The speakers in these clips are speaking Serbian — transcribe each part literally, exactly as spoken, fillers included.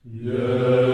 Yeah.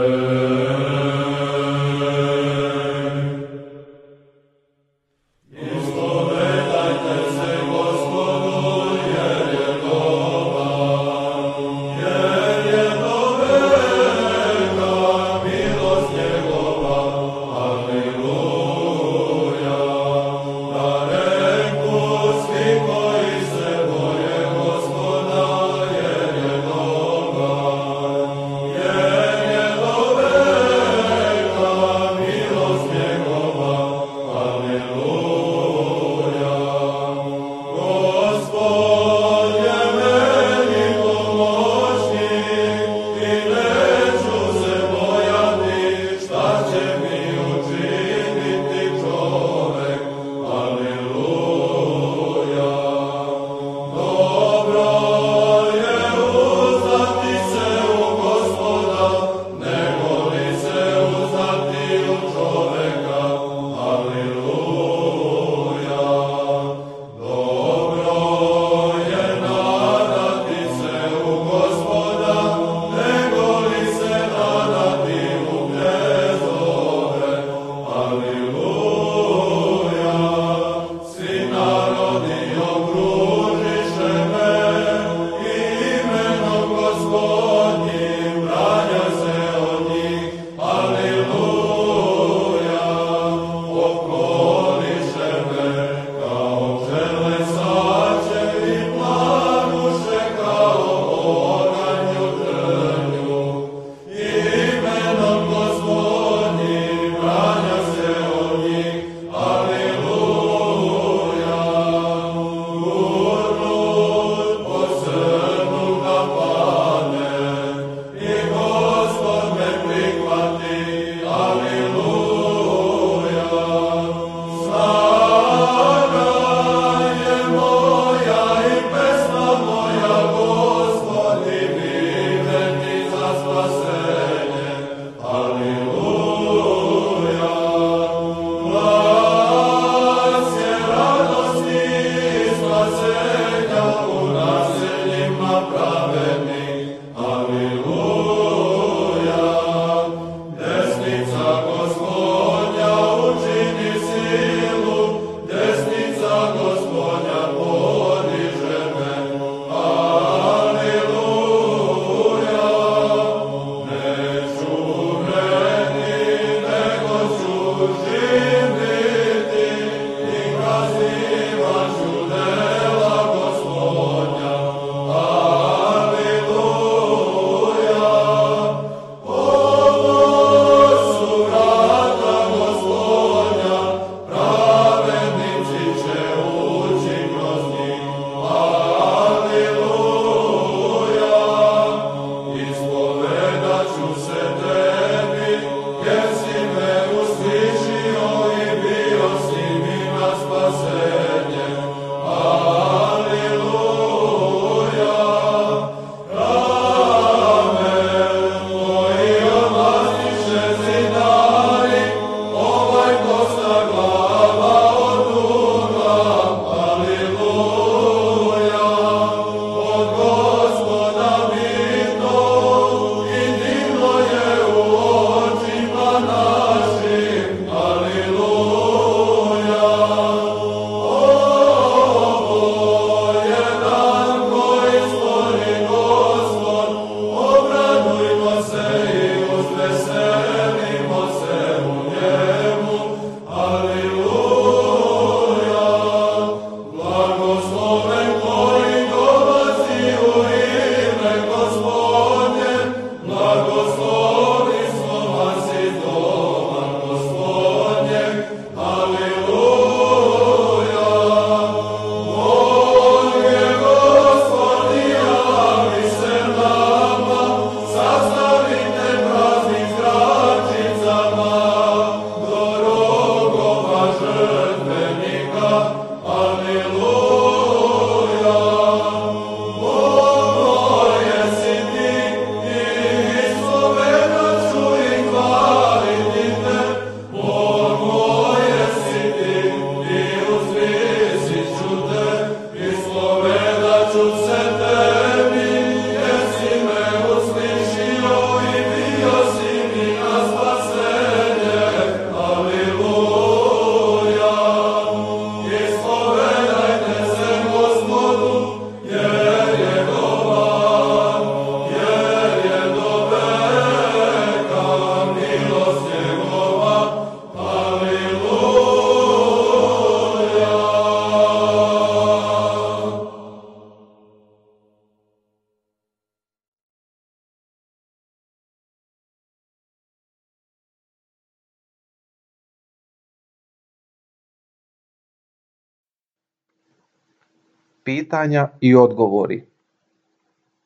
Pitanja i odgovori.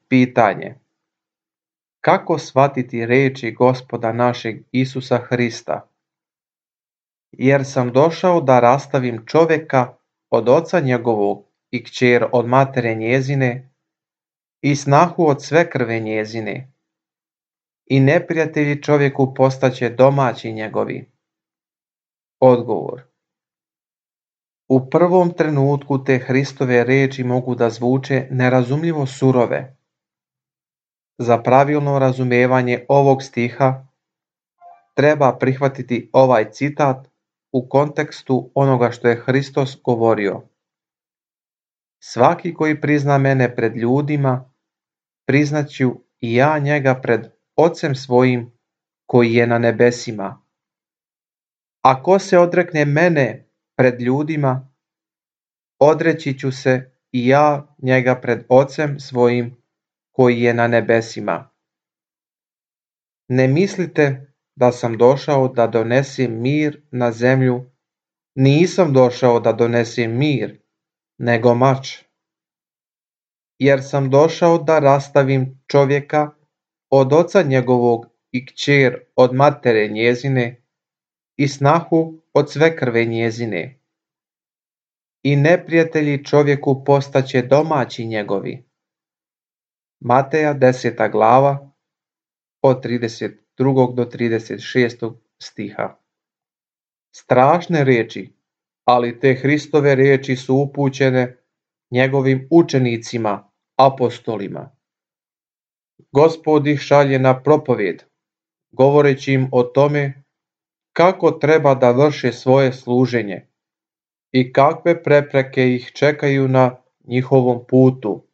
Pitanje. Kako shvatiti riječi Gospoda našeg Isusa Hrista? Jer sam došao da rastavim čovjeka od oca njegovog i kćer od matere njezine i snahu od sve krve njezine. I neprijatelji čovjeku postaće domaći njegovi. Odgovor. U prvom trenutku te Hristove riječi mogu da zvuče nerazumljivo surove. Za pravilno razumijevanje ovog stiha treba prihvatiti ovaj citat u kontekstu onoga što je Hristos govorio. Svaki koji prizna mene pred ljudima, priznaću i ja njega pred Ocem svojim koji je na nebesima. A ko se odrekne mene pred ljudima, odreći ću se i ja njega pred Ocem svojim koji je na nebesima. Ne mislite da sam došao da donesem mir na zemlju, nisam došao da donesem mir, nego mač. Jer sam došao da rastavim čovjeka od oca njegovog i kćer od matere njezine i snahu od sve krve njezine. I neprijatelji čovjeku postaće domaći njegovi. Mateja deseta glava od trideset drugog do trideset šestog stiha. Strašne riječi, ali te Hristove riječi su upućene njegovim učenicima, apostolima. Gospod ih šalje na propovjed, govoreći im o tome kako treba da vrše svoje služenje i kakve prepreke ih čekaju na njihovom putu.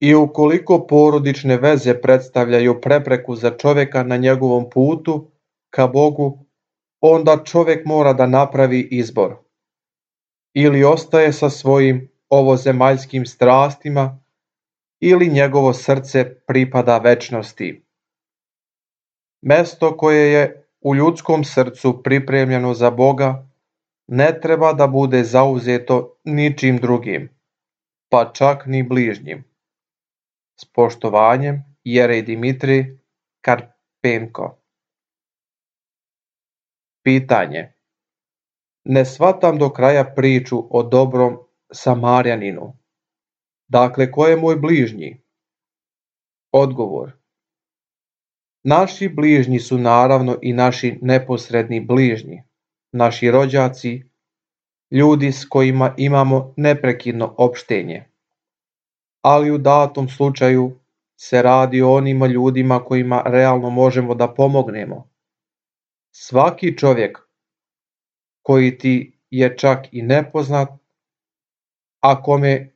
I ukoliko porodične veze predstavljaju prepreku za čovjeka na njegovom putu ka Bogu, onda čovjek mora da napravi izbor. Ili ostaje sa svojim ovozemaljskim strastima, ili njegovo srce pripada večnosti. Mesto koje je u ljudskom srcu pripremljeno za Boga ne treba da bude zauzeto ničim drugim, pa čak ni bližnjim. S poštovanjem, Jerej Dimitrij Karpenko. Pitanje. Ne shvatam do kraja priču o dobrom Samarjaninu. Dakle, ko je moj bližnji? Odgovor. Naši bližnji su naravno i naši neposredni bližnji, naši rođaci, ljudi s kojima imamo neprekidno opštenje. Ali u datom slučaju se radi o onima ljudima kojima realno možemo da pomognemo. Svaki čovjek koji ti je čak i nepoznat, a kome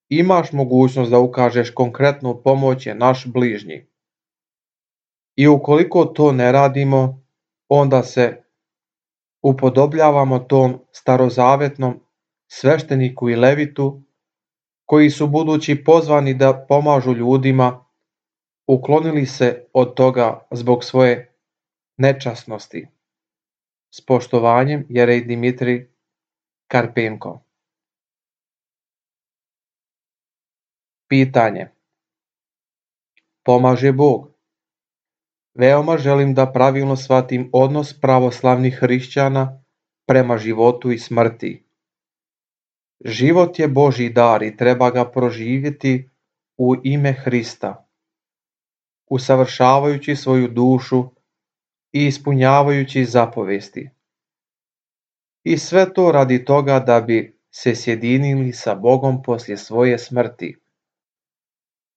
imaš mogućnost da ukažeš konkretnu pomoć je naš bližnji. I ukoliko to ne radimo, onda se upodobljavamo tom starozavetnom svešteniku i levitu, koji su budući pozvani da pomažu ljudima, uklonili se od toga zbog svoje nečasnosti. S poštovanjem, Jerej Dimitrij Karpenko. Pitanje. Pomaže Bog. Veoma želim da pravilno shvatim odnos pravoslavnih hrišćana prema životu i smrti. Život je Božji dar i treba ga proživjeti u ime Hrista, usavršavajući svoju dušu i ispunjavajući zapovesti. I sve to radi toga da bi se sjedinili sa Bogom poslije svoje smrti.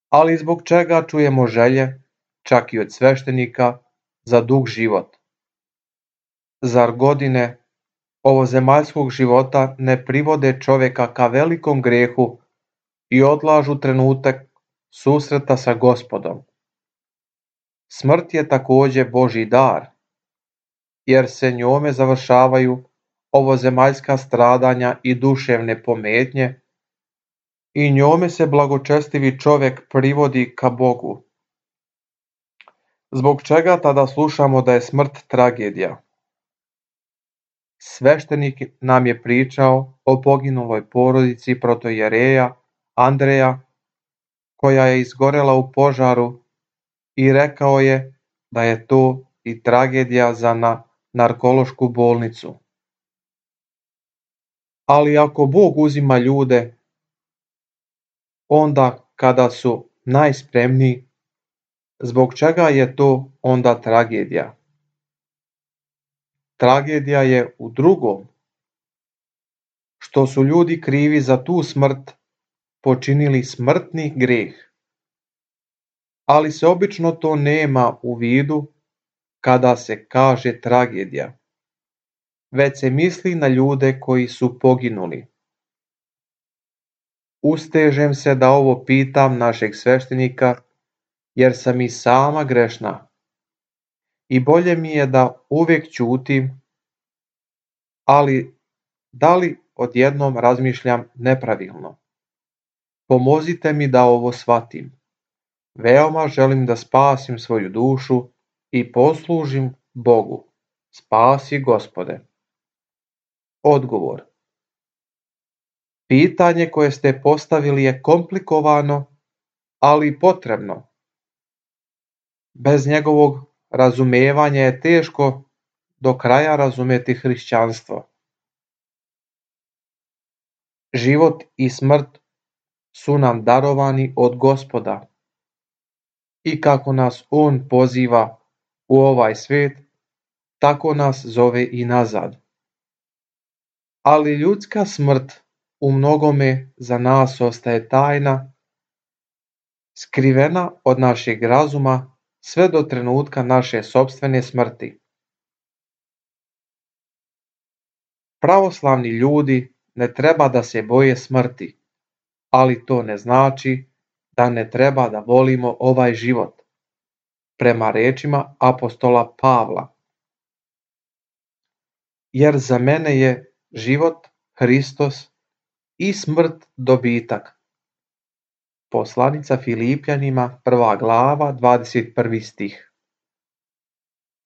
Ali zbog čega čujemo želje, čak i od sveštenika, za dug život? Zar godine ovozemaljskog života ne privode čovjeka ka velikom grehu i odlažu trenutak susreta sa Gospodom? Smrt je također Božji dar, jer se njome završavaju ovozemaljska stradanja i duševne pometnje i njome se blagočestivi čovjek privodi ka Bogu. Zbog čega tada slušamo da je smrt tragedija? sveštenik nam je pričao o poginuloj porodici protojereja Andreja, koja je izgorela u požaru, i rekao je da je to i tragedija za na narkološku bolnicu. Ali ako Bog uzima ljude onda kada su najspremniji, zbog čega je to onda tragedija? Tragedija je u drugom, što su ljudi krivi za tu smrt počinili smrtni greh. Ali se obično to nema u vidu kada se kaže tragedija, već se misli na ljude koji su poginuli. Ustežem se da ovo pitam našeg sveštenika, jer sam i sama grešna. I bolje mi je da uvijek ćutim, ali da li odjednom razmišljam nepravilno? Pomozite mi da ovo shvatim. Veoma želim da spasim svoju dušu i poslužim Bogu. Spasi, Gospode. Odgovor. Pitanje koje ste postavili je komplikovano, ali potrebno. Bez njegovog razumevanja je teško do kraja razumjeti hrišćanstvo. Život i smrt su nam darovani od Gospoda. I kako nas On poziva u ovaj svijet, tako nas zove i nazad. Ali ljudska smrt u mnogome za nas ostaje tajna, skrivena od našeg razuma sve do trenutka naše sopstvene smrti. Pravoslavni ljudi ne treba da se boje smrti, ali to ne znači da ne treba da volimo ovaj život, prema rečima apostola Pavla. Jer za mene je život Hristos i smrt dobitak. Poslanica Filipljanima, prva glava, dvadeset prvi stih.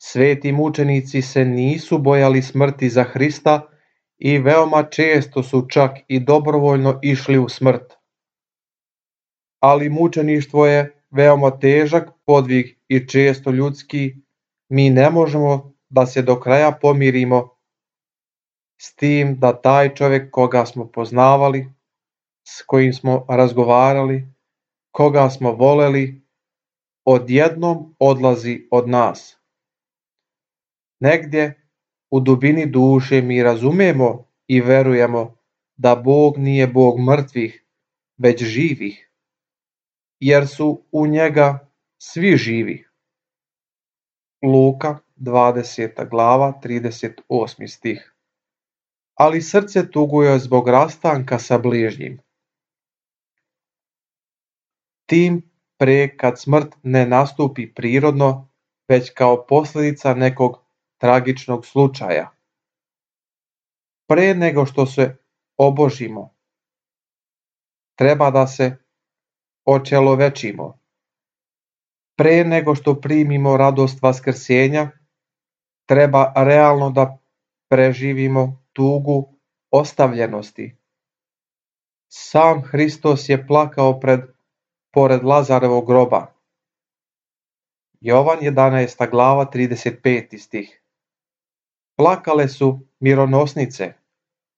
Sveti mučenici se nisu bojali smrti za Hrista i veoma često su čak i dobrovoljno išli u smrt. Ali mučeništvo je veoma težak podvig i često ljudski. Mi ne možemo da se do kraja pomirimo s tim da taj čovjek koga smo poznavali, s kojim smo razgovarali, koga smo voleli, odjednom odlazi od nas. Negdje u dubini duše mi razumemo i verujemo da Bog nije Bog mrtvih, već živih, jer su u njega svi živi. Luka, dvadeseta glava, trideset osmi stih. Ali srce tuguje zbog rastanka sa bližnjim. Tim pre kad smrt ne nastupi prirodno, već kao posljedica nekog tragičnog slučaja. Pre nego što se obožimo, treba da se očelovečimo. Pre nego što primimo radost vaskrsenja, treba realno da preživimo tugu ostavljenosti. Sam Hristos je plakao pred, pored Lazarovog groba. Jovan jedanaesta glava, trideset peti stih. Plakale su mironosnice,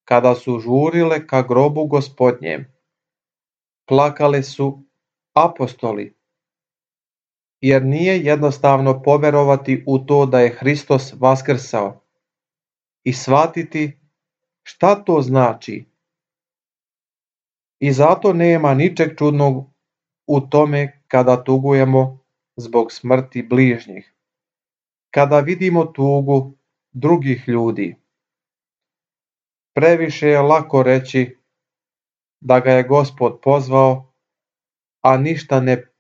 kada su žurile ka grobu Gospodnjem. Plakale su apostoli, jer nije jednostavno poverovati u to da je Hristos vaskrsao i shvatiti šta to znači. I zato nema ničeg čudnog u tome kada tugujemo zbog smrti bližnjih, kada vidimo tugu drugih ljudi. Previše je lako reći da ga je Gospod pozvao, a ništa ne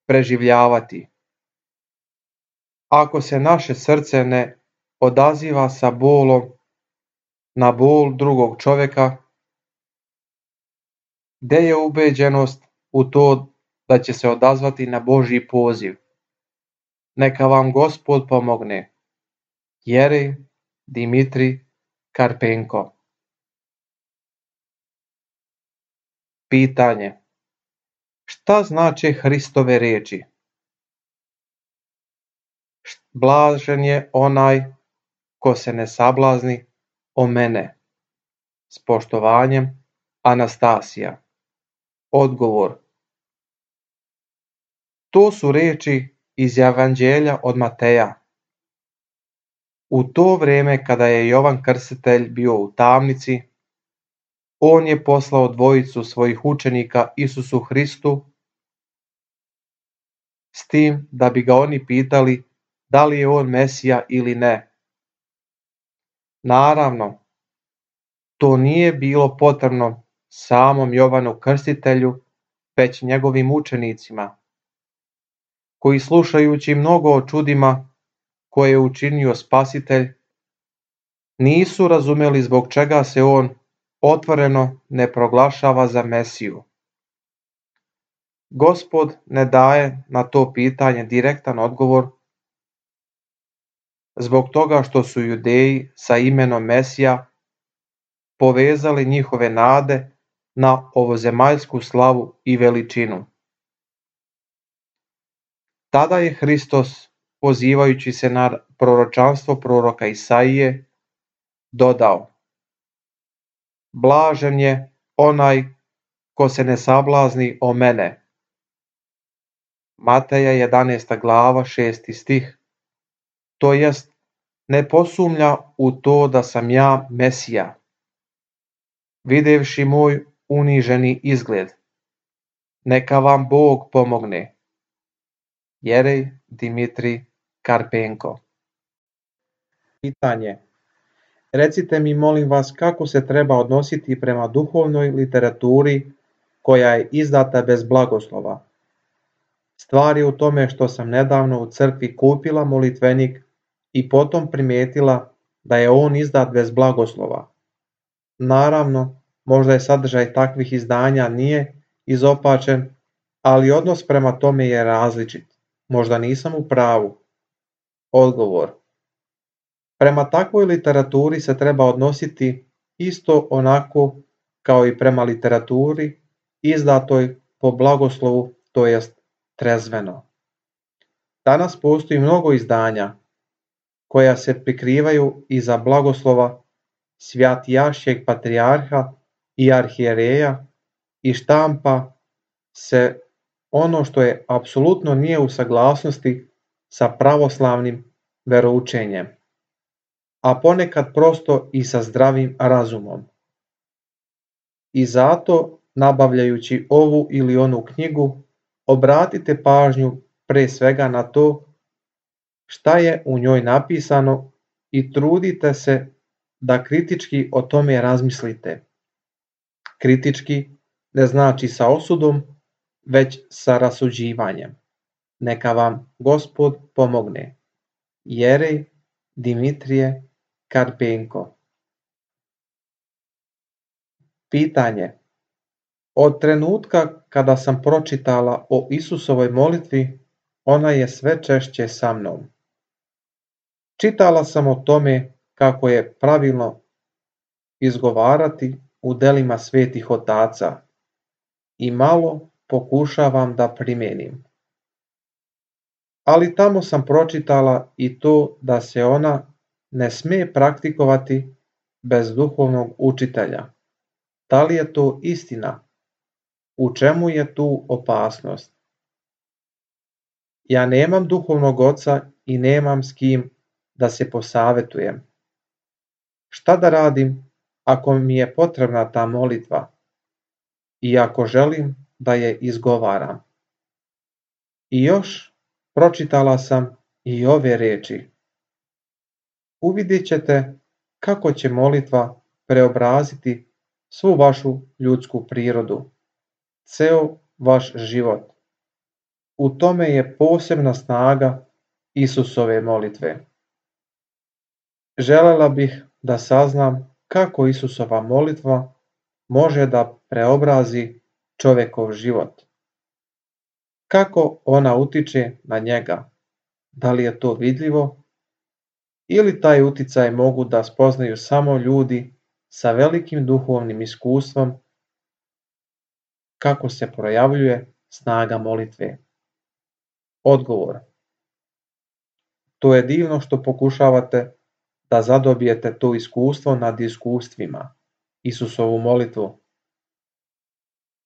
preživljavati. Ako se naše srce ne odaziva sa bolom na bol drugog čovjeka, gde je ubeđenost u to da će se odazvati na Božji poziv? Neka vam Gospod pomogne. Jerej, Dimitri, Karpenko. Pitanje. Šta znače Hristove riječi? Blažen je onaj ko se ne sablazni o mene. S poštovanjem, Anastasija. Odgovor. To su riječi iz Evanđelja od Mateja. U to vrijeme kada je Jovan Krstitelj bio u tamnici, on je poslao dvojicu svojih učenika Isusu Hristu s tim da bi ga oni pitali da li je on Mesija ili ne. Naravno, to nije bilo potrebno samom Jovanu Krstitelju, već njegovim učenicima, koji slušajući mnogo o čudima koje je učinio Spasitelj, nisu razumjeli zbog čega se on otvoreno ne proglašava za Mesiju. Gospod ne daje na to pitanje direktan odgovor, zbog toga što su Judeji sa imenom Mesija povezali njihove nade na ovozemaljsku slavu i veličinu. Tada je Hristos, pozivajući se na proročanstvo proroka Isaije, dodao: Blažen je onaj ko se ne sablazni o mene. Mateja jedanaesta glava šesti stih. To jest, ne posumnja u to da sam ja Mesija, videvši moj uniženi izgled. Neka vam Bog pomogne. Jerej Dimitrij Karpenko. Pitanje. Recite mi molim vas kako se treba odnositi prema duhovnoj literaturi koja je izdata bez blagoslova. Stvar je u tome što sam nedavno u crkvi kupila molitvenik i potom primijetila da je on izdat bez blagoslova. Naravno, možda je sadržaj takvih izdanja nije izopačen, ali odnos prema tome je različit. Možda nisam u pravu. Odgovor. Prema takvoj literaturi se treba odnositi isto onako kao i prema literaturi izdatoj po blagoslovu, to jest trezveno. Danas postoji mnogo izdanja koja se prikrivaju iza blagoslova svjatijašćeg patrijarha i arhijereja i štampa se ono što je apsolutno nije u saglasnosti sa pravoslavnim veroučenjem, a ponekad prosto i sa zdravim razumom. I zato, nabavljajući ovu ili onu knjigu, obratite pažnju pre svega na to šta je u njoj napisano i trudite se da kritički o tome razmislite. Kritički ne znači sa osudom, već sa rasuđivanjem. Neka vam Gospod pomogne. Jerej Dimitrije Karpenko. Pitanje. Od trenutka kada sam pročitala o Isusovoj molitvi, ona je sve češće sa mnom. Čitala sam o tome kako je pravilno izgovarati u delima svetih otaca i malo pokušavam da primenim. Ali tamo sam pročitala i to da se ona ne sme praktikovati bez duhovnog učitelja. Da li je to istina? U čemu je tu opasnost? Ja nemam duhovnog oca i nemam s kim da se posavetujem. Šta da radim ako mi je potrebna ta molitva i ako želim da je izgovaram? I još pročitala sam i ove riječi. Uvidjet ćete kako će molitva preobraziti svu vašu ljudsku prirodu, ceo vaš život. U tome je posebna snaga Isusove molitve. Želela bih da saznam kako Isusova molitva može da preobrazi čovjekov život. Kako ona utiče na njega? Da li je to vidljivo ili taj uticaj mogu da spoznaju samo ljudi sa velikim duhovnim iskustvom kako se projavljuje snaga molitve? Odgovor. To je divno što pokušavate da zadobijete to iskustvo nad iskustvima, Isusovu molitvu,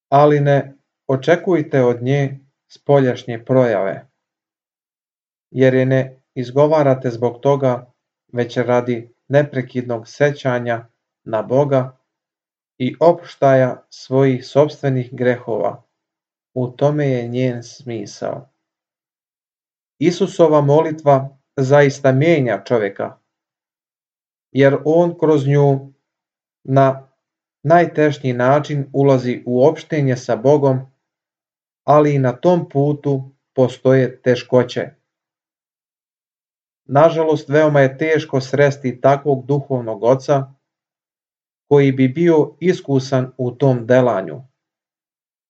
ali ne očekujte od nje spoljašnje projave, jer je ne izgovarate zbog toga, već radi neprekidnog sećanja na Boga i oproštaja svojih sopstvenih grehova. U tome je njen smisao. Isusova molitva zaista mijenja čovjeka, jer on kroz nju na najtešnji način ulazi u opštenje sa Bogom, ali i na tom putu postoje teškoće. Nažalost, veoma je teško sresti takvog duhovnog oca koji bi bio iskusan u tom delanju,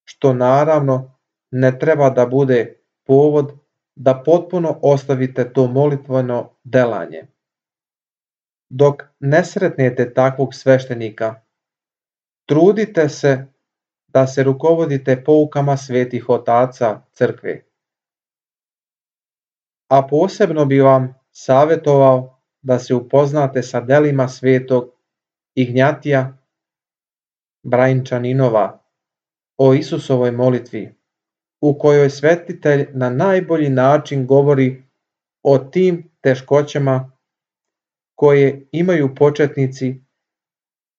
što naravno ne treba da bude povod da potpuno ostavite to molitveno delanje. Dok ne sretnete takvog sveštenika, trudite se da se rukovodite poukama svetih otaca crkve. A posebno bi vam savjetovao da se upoznate sa delima svetog Ignjatija Brajnčaninova o Isusovoj molitvi, u kojoj svetitelj na najbolji način govori o tim teškoćama koje imaju početnici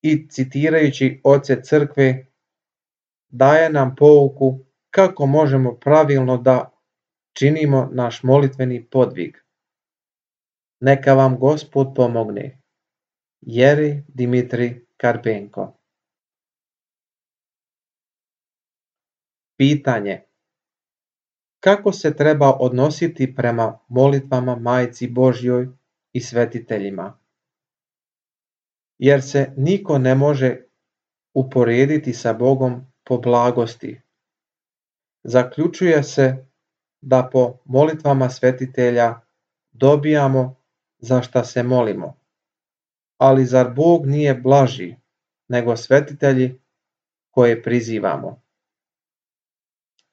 i citirajući oce crkve daje nam pouku kako možemo pravilno da činimo naš molitveni podvig. Neka vam Gospod pomogne. Jeri Dimitrij Karpenko. Pitanje. Kako se treba odnositi prema molitvama Majci Božjoj i svetiteljima? Jer se niko ne može uporediti sa Bogom po blagosti. Zaključuje se da po molitvama svetitelja dobijamo za šta se molimo. Ali zar Bog nije blaži nego svetitelji koje prizivamo?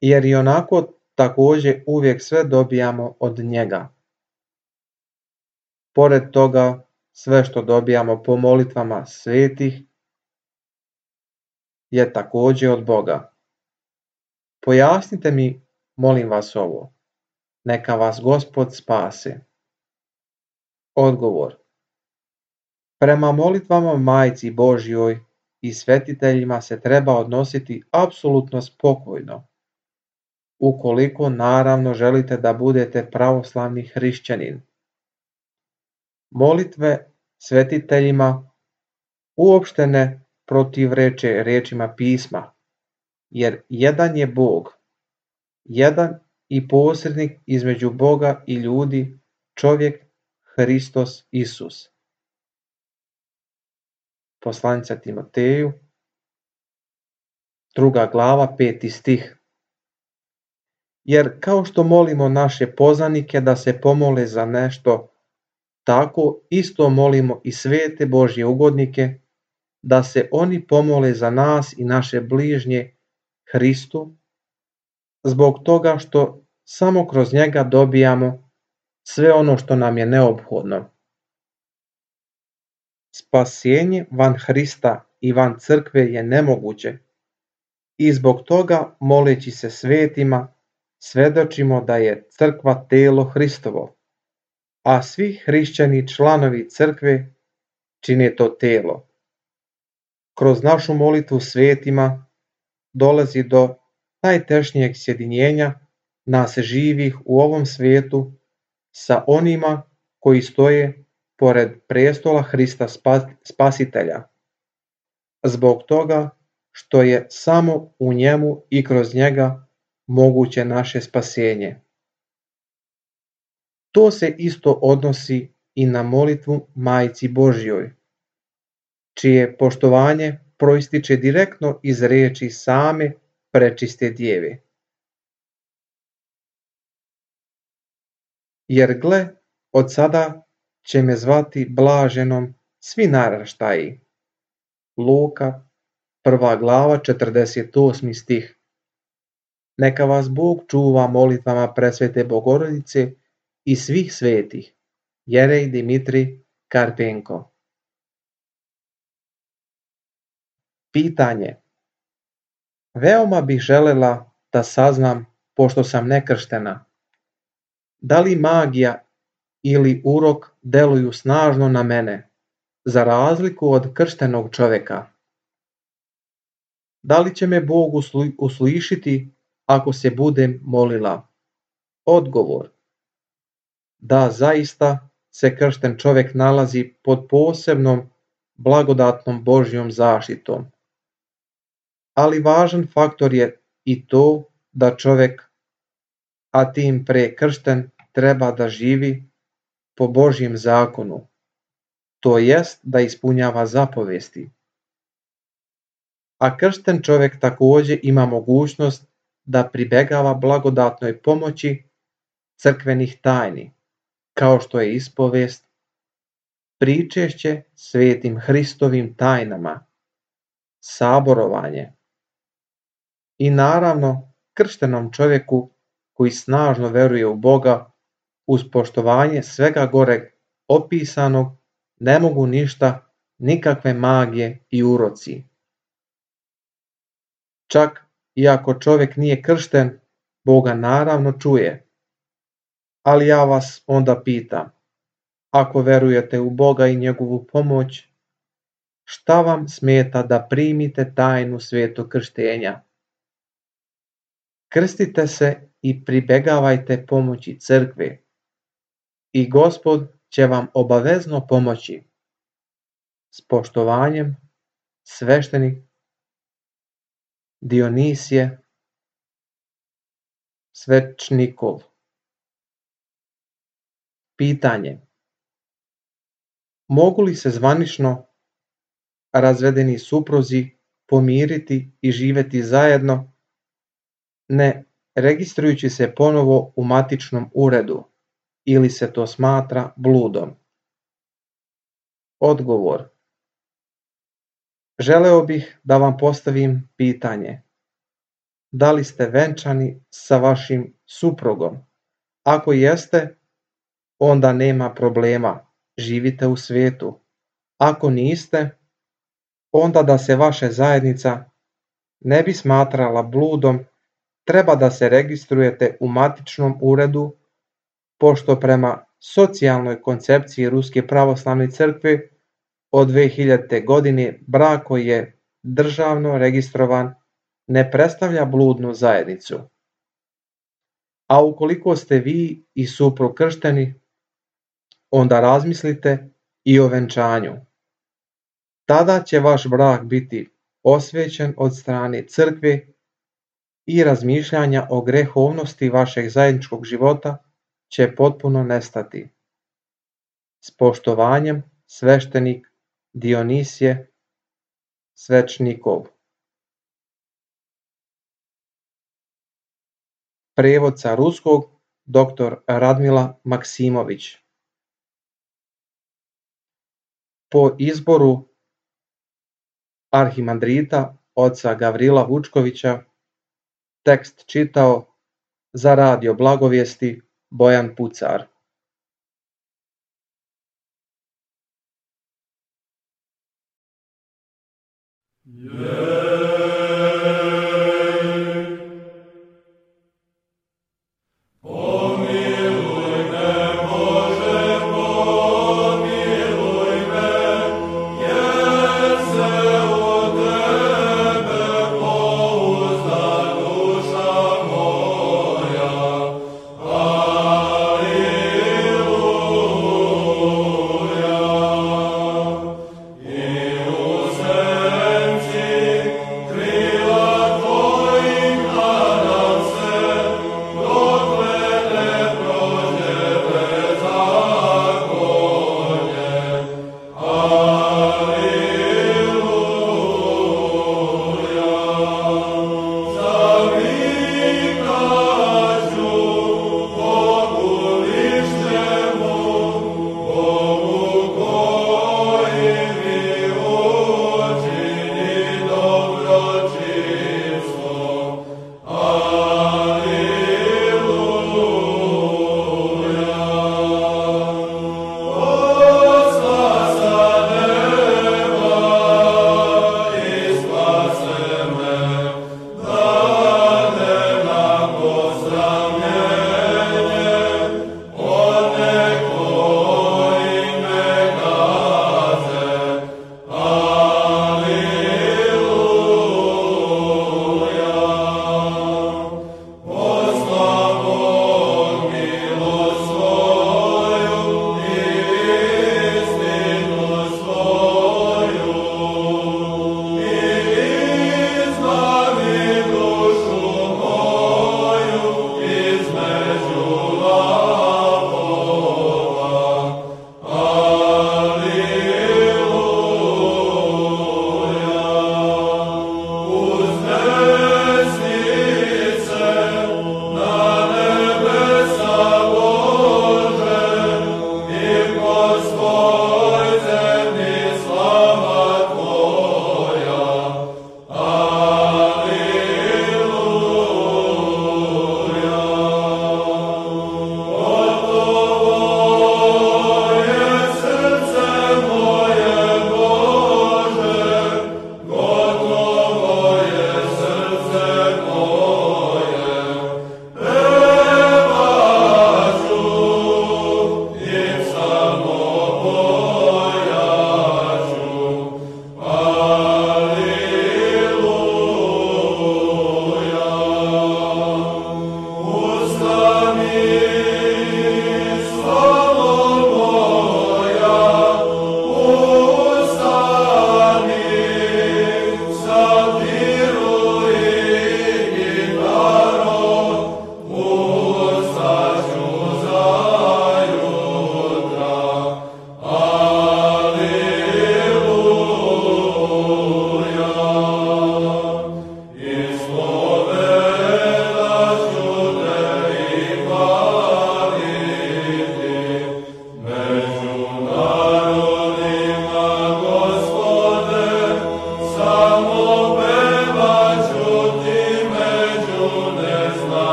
Jer i onako također uvijek sve dobijamo od njega. Pored toga, sve što dobijamo po molitvama svetih je također od Boga. Pojasnite mi, molim vas ovo. Neka vas Gospod spase. Odgovor. Prema molitvama Majci Božjoj i svetiteljima se treba odnositi apsolutno spokojno, ukoliko naravno želite da budete pravoslavni hrišćanin. Molitve svetiteljima uopšte ne protivreče rečima pisma, jer jedan je Bog, jedan i posrednik između Boga i ljudi, čovjek Hristos Isus. Poslanica Timoteju, druga glava, peti stih. Jer kao što molimo naše poznanike da se pomole za nešto, tako isto molimo i svete Božje ugodnike da se oni pomole za nas i naše bližnje Hristu, zbog toga što samo kroz njega dobijamo sve ono što nam je neophodno. Spasenje van Hrista i van crkve je nemoguće i zbog toga, moleći se svetima, svedočimo da je crkva telo Hristovo, a svi hrišćani članovi crkve čine to telo. Kroz našu molitvu svetima dolazi do najtešnjeg sjedinjenja nas živih u ovom svijetu sa onima koji stoje pored prestola Hrista Spasitelja, zbog toga što je samo u njemu i kroz njega moguće naše spasenje. To se isto odnosi i na molitvu Majci Božjoj, čije poštovanje proističe direktno iz riječi same prečiste djeve. Jer gle, od sada će me zvati blaženom svi naraštaji. Luka, prva glava, četrdeset osmi stih. Neka vas Bog čuva molitvama presvete Bogorodice i svih svetih. Jerej Dimitrij Karpenko. Pitanje. Veoma bih želela da saznam, pošto sam nekrštena, da li magija ili urok deluju snažno na mene, za razliku od krštenog čoveka. Da li će me Bog uslišiti ako se budem molila? Odgovor. Da, zaista se kršten čovek nalazi pod posebnom blagodatnom Božjom zaštitom. Ali važan faktor je i to da čovek, a tim pre kršten, treba da živi po Božjem zakonu, to jest da ispunjava zapovesti. A kršten čovek takođe ima mogućnost da pribegava blagodatnoj pomoći crkvenih tajni, kao što je ispovest, pričešće svetim Hristovim tajnama, saborovanje i naravno krštenom čovjeku koji snažno veruje u Boga, uz poštovanje svega goreg opisanog, ne mogu ništa, nikakve magije i uroci. Čak i ako čovjek nije kršten, Boga naravno čuje. Ali ja vas onda pitam, ako verujete u Boga i njegovu pomoć, šta vam smeta da primite tajnu svetog krštenja? Krstite se i pribegavajte pomoći crkve i Gospod će vam obavezno pomoći. S poštovanjem, sveštenik Dionisije Svečnikov. Pitanje. Mogu li se zvanično razvedeni supruzi pomiriti i živeti zajedno, ne registrujući se ponovo u matičnom uredu, ili se to smatra bludom? Odgovor. Želeo bih da vam postavim pitanje. Da li ste venčani sa vašim suprugom? Ako jeste, onda nema problema, živite u svijetu. Ako niste, onda da se vaša zajednica ne bi smatrala bludom, treba da se registrujete u matičnom uredu, pošto prema socijalnoj koncepciji Ruske pravoslavne crkve od dve hiljadite. godine brak koji je državno registrovan ne predstavlja bludnu zajednicu. A ukoliko ste vi i suprug kršteni, onda razmislite i o venčanju. Tada će vaš brak biti osvećen od strane crkve i razmišljanja o grehovnosti vašeg zajedničkog života će potpuno nestati. S poštovanjem, sveštenik Dionisije Svečnikov. Prevod sa ruskog doktor Radmila Maksimović. Po izboru arhimandrita oca Gavrila Vučkovića tekst čitao za Radio Blagovijesti Bojan Pucar. Yeah.